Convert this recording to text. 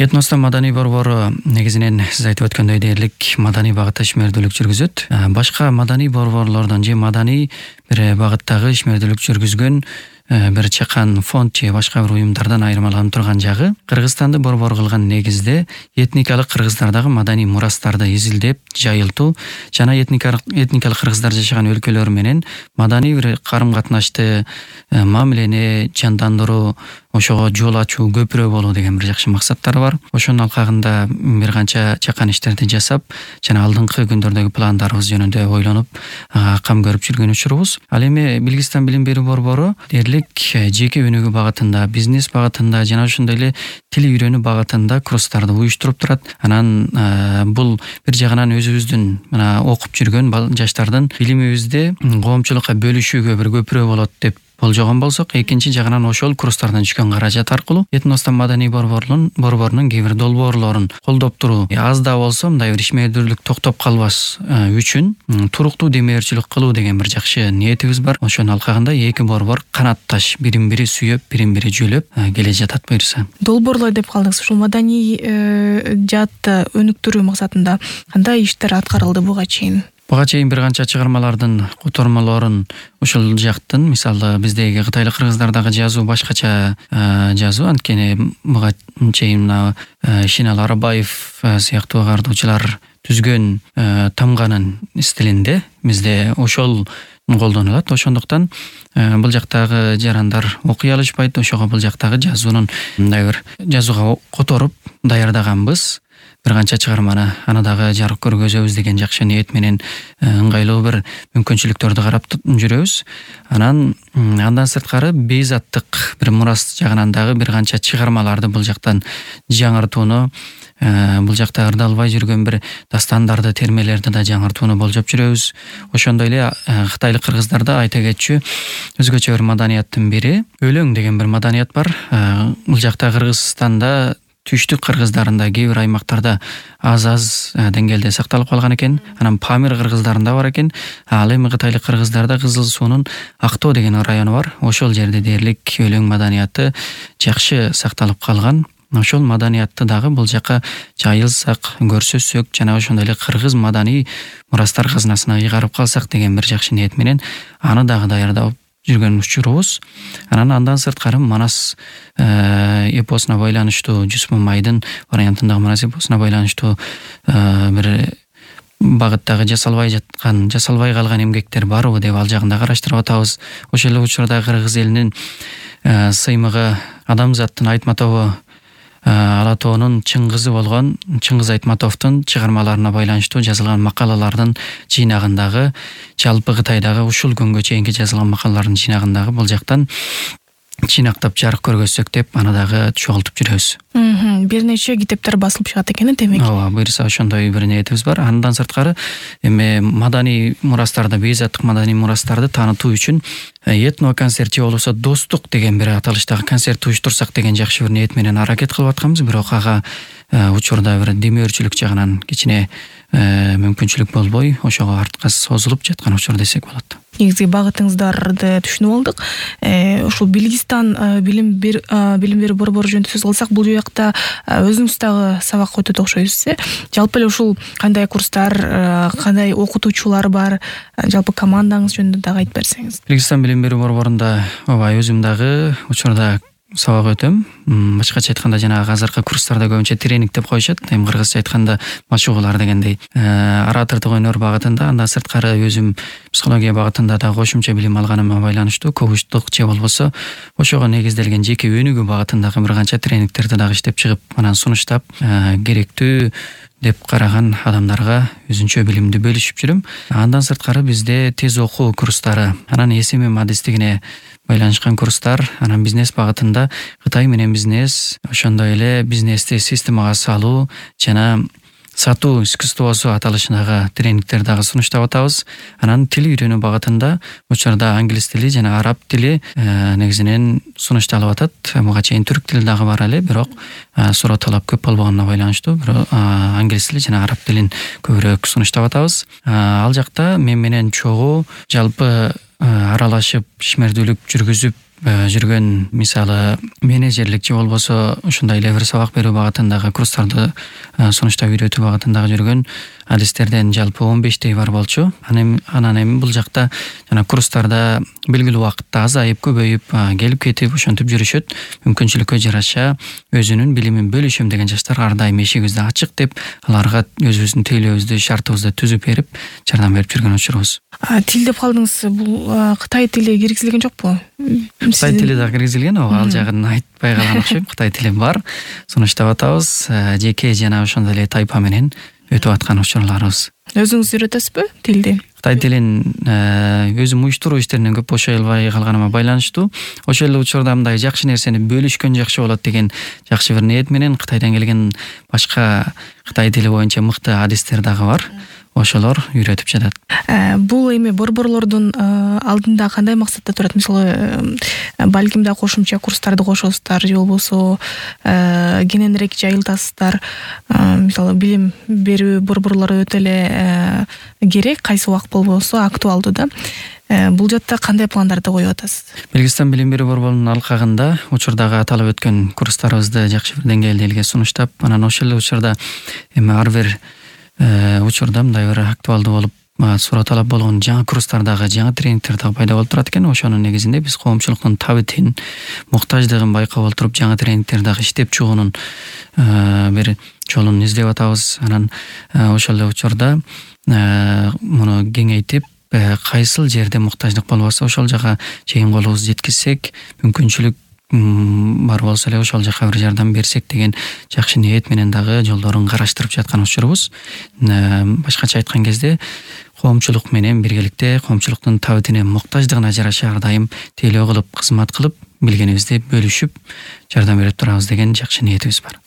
Этностун маданий борбору негизинен сиз айтып өткөндөй дээрлик маданий багытта ишмердүүлүк жүргүзөт. Башка маданий борборлордон же маданий бир багыттагы ишмердүүлүк жүргүзгөн бир чакан фонд же башка бир уюмдардан айырмаланып турган жагы, Кыргызстанды борбор кылган негизде этникалык кыргыздардагы маданий мурастарды изилдеп, жайылтуу жана этникалык кыргыздар жашаган өлкөлөр менен маданий бир карым-катнашты, мамилени жандандыруу, ошого жол ачуу, көпүрө болуу деген бир жакшы максаттар бар. Ошонун алкагында бир канча чакан иштерди жасап, жана алдыңкы күндөрдөгү пландарыбыз жөнүндө ойлонуп, кам көрүп жүргөн учурубуз. Ал эми Белгистан билим берүү борбору дээрлик жеке өнүгүү багытында, бизнес багытында жана ошондой эле тил үйрөнүү багытында курстарды уюштуруп турат. Анан бул бир жагынан өзүбүздүн мына окуп жүргөн жаштардын билимибизди коомчулукка бөлүшүүгө бир көпүрө болот деп болжогон болсок, экинчи жагынан ошол курстардан түшкөн каражат аркылуу Этностун маданий борборунун кээ бир долбоорлорун колдоп туруу, аз да болсо мындай бир ишмердүүлүк токтоп калбас үчүн туруктуу демөөрчүлүк кылуу деген бир жакшы ниетибиз бар. Ошонун алкагында эки борбор канатташ, бирин-бири сүйөп, бирин-бири жүлөп келе жатат буюрса. Долбоорлор деп калдыңыз. Ушул маданий жаатты өнүктүрүү максатында кандай иштер аткарылды буга чейин? Буга чейин бир канча чыгармалардын котормолорун ушул жактын, мисалы биздеги кытайлык кыргыздардагы жазуу башкача жазуу, анткени буга чейин Шинал Арабаев сыяктуу агартуучулар түзгөн тамганын стилинде бизде ошол колдонулат. Ошондуктан бул жактагы жарандар окуй алышпайт. Ошого бул жактагы жазуунун мындай бир жазууга которуп даярдаганбыз. Бир канча чыгарманы аны дагы жарык көргөзөбүз деген жакшы ниет менен ыңгайлуу бир мүмкүнчүлүктөрдү карап жүрөбүз. Андан сырткары бейзаттык бир мурас жагынан дагы бир канча чыгармаларды бул жактан жаңыртууну, бул жакта ырдалбай жүргөн бир дастандарды, термелерди да жаңыртууну болжоп жүрөбүз. Ошондой эле кытайлык кыргыздарда айта кетчү өзгөчө бир маданияттын бири өлөң деген бир маданият бар. Бул жакта Кыргызстанда түштүк кыргыздарында кээ бир аймактарда аз деңгээлде сакталып калган экен. Анан Памир кыргыздарында бар экен. Ал эми кытайлык кыргыздарда Кызыл суунун Актоо деген району бар. Ошол жерде дээрлик өлөң маданияты жакшы сакталып калган. Ошол маданиятты дагы бул жака жайылсак, көрсөтсөк жана ошондой эле кыргыз маданий мурастар казынасына ыйгарып калсак деген бир жакшы ниет менен аны дагы даярдап жүргөн учурубуз. Андан сырткары Манас эпосуна байланыштуу, Жүз Мамайдын вариантындагы Манас эпосуна байланыштуу бир багыттагы жасалбай калган эмгектер барбы деп ал жагын да караштырып атабыз. Ошол эле учурда кыргыз элинин сыймыгы Адамзаттын Айтматову Ала тоонун чыңгызы болгон Чыңгыз Айтматовдун чыгармаларына байланыштуу жазылган макалалардын жыйнагындагы, жалпы Кытайдагы ушул күнгө чейинки жазылган макалалардын жыйнагындагы бул жактан жыйнактап жарык көргөзсөк деп аны дагы чогултуп жүрөбүз. Бир нече китептер басылып чыгат экен демек. Ооба, буюрса ошондой бир ниетибиз бар. Андан сырткары эми маданий мурастарды, бейзаттык маданий мурастарды таанытуу үчүн этно концерт же болбосо достук деген бир аталыштагы концерт уюштурсак деген жакшы бир ниет менен аракет кылып атканбыз. Бирок ага учурда бир демөөрчүлүк жагынан кичине мүмкүнчүлүк болбой, ошого артка созулуп жаткан учур десек болот. Негизги багытыңыздарды түшүнүп алдык. Ушул Белгистан билим берүү борбору жөнүндө сөз кылсак, бул жакта өзүңүз дагы сабак өтөт окшойсуз. Жалпы эле ушул кандай курстар, кандай окутуучулар бар, жалпы командаңыз жөнүндө дагы айтып берсеңиз. Белгистан билим берүү борборунда өзүм дагы учурда сабак өтөм. Башкача айтканда жанагы азыркы курстарда көбүнчө тренинг деп коюшат. Эми кыргызча айтканда машыгуулар дегендей. Оратордук өнөр багытында, андан сырткары өзүм психология багытында да кошумча билим алганыма байланыштуу коучтук же болбосо ошого негизделген жеке өнүгүү багытындагы бир канча тренингтерди дагы иштеп чыгып, анан сунуштап керектүү деп караган адамдарга өзүнчө билимди бөлүшүп жүрөм. Андан сырткары бизде тез окуу курстары, анан СММ адистигине байланышкан курстар, анан бизнес багытында Кытай менен бизнес, ошондой эле бизнести системага салуу жана сатуу искусствосу аталышындагы тренингтер дагы сунуштап атабыз. Анан тил үйрөнүү багытында учурда англис тили жана араб тили негизинен сунушталып атат. Буга чейин түрк тили дагы бар эле, бирок суроо талап көп болбогонуна байланыштуу англис тили жана араб тилин көбүрөөк сунуштап атабыз. Ал жакта мен менен чогуу жалпы аралашып ишмердүүлүк жүргүзүп жүргөн, мисалы менеджерлик же болбосо ушундай эле бир сабак берүү багытындагы курстарды сунуштап үйрөтүү багытындагы жүргөн адистерден жалпы 15 бар болчу. Анан эми бул жакта жана курстарда белгилүү убакытта азайып, көбөйүп, келип кетип ошентип жүрүшөт. Мүмкүнчүлүккө жараша өзүнүн билимин бөлүшөм деген жаштар ар дайым эшигибиз ачык деп, аларга өзүбүздүн тейлөөбүздү, шартыбызды түзүп берип, жардам берип жүргөн учурубуз. Тил деп калдыңыз, бул Кытай тили киргизилген жокпу? Кытай тили да киргизилген, ал жагын айтпай калган окшойм. Кытай тили бар, сунуштап атабыз. Жеке жана ошондой эле тайпа менен өтүп аткан учурларыбыз. Өзүңүз үйрөтөсүзбү тилди? Кытай тилин өзүм уюштуруу иштеринен көп бошой албай калганыма байланыштуу. Ошол эле учурда мындай жакшы нерсени бөлүшкөн жакшы болот деген жакшы бир ниет менен Кытайдан келген башка Кытай тили боюнча мыкты адистер дагы бар. Ошолор үйрөтүп жатат. Бул эми борборлордун алдында кандай максатта турат? Мисалы, балким да кошумча курстарды кошосуздар же болбосо кененирээк жайылтасыздар. Мисалы, билим берүү борборлору өтө эле керек, кайсы убак болбосо актуалдуу да. Бул жакта кандай пландарды коюп атасыз? Белгистан билим берүү борборунун алкагында учурдагы аталып өткөн курстарыбызды жакшы бир деңгээлде элге сунуштап, анан ошол эле учурда эми ар бир учурда мындай бир актуалдуу болуп, суроо талап болгон жаңы курстардагы жаңы тренингдер дагы пайда болуп турат экен. Ошонун негизинде биз коомчулуктун табитин, муктаждыгын байкап олтуруп, жаңы тренингдер дагы иштеп чыгуунун бир жолун издеп атабыз. Анан ошол эле учурда муну кеңейтип, кайсыл жерде муктаждык болбосо ошол жака чейин колубузду жеткизсек, мүмкүнчүлүк бар болсо эле ошол жака бир жардам берсек деген жакшы ниет менен дагы жолдорун караштырып жаткан учурубуз. Башкача айткан кезде коомчулук менен биргеликте коомчулуктун табитине, муктаждыгына жараша ар дайым тейлөө кылып, кызмат кылып, билгенибизди бөлүшүп, жардам берип турабыз деген жакшы ниетибиз бар.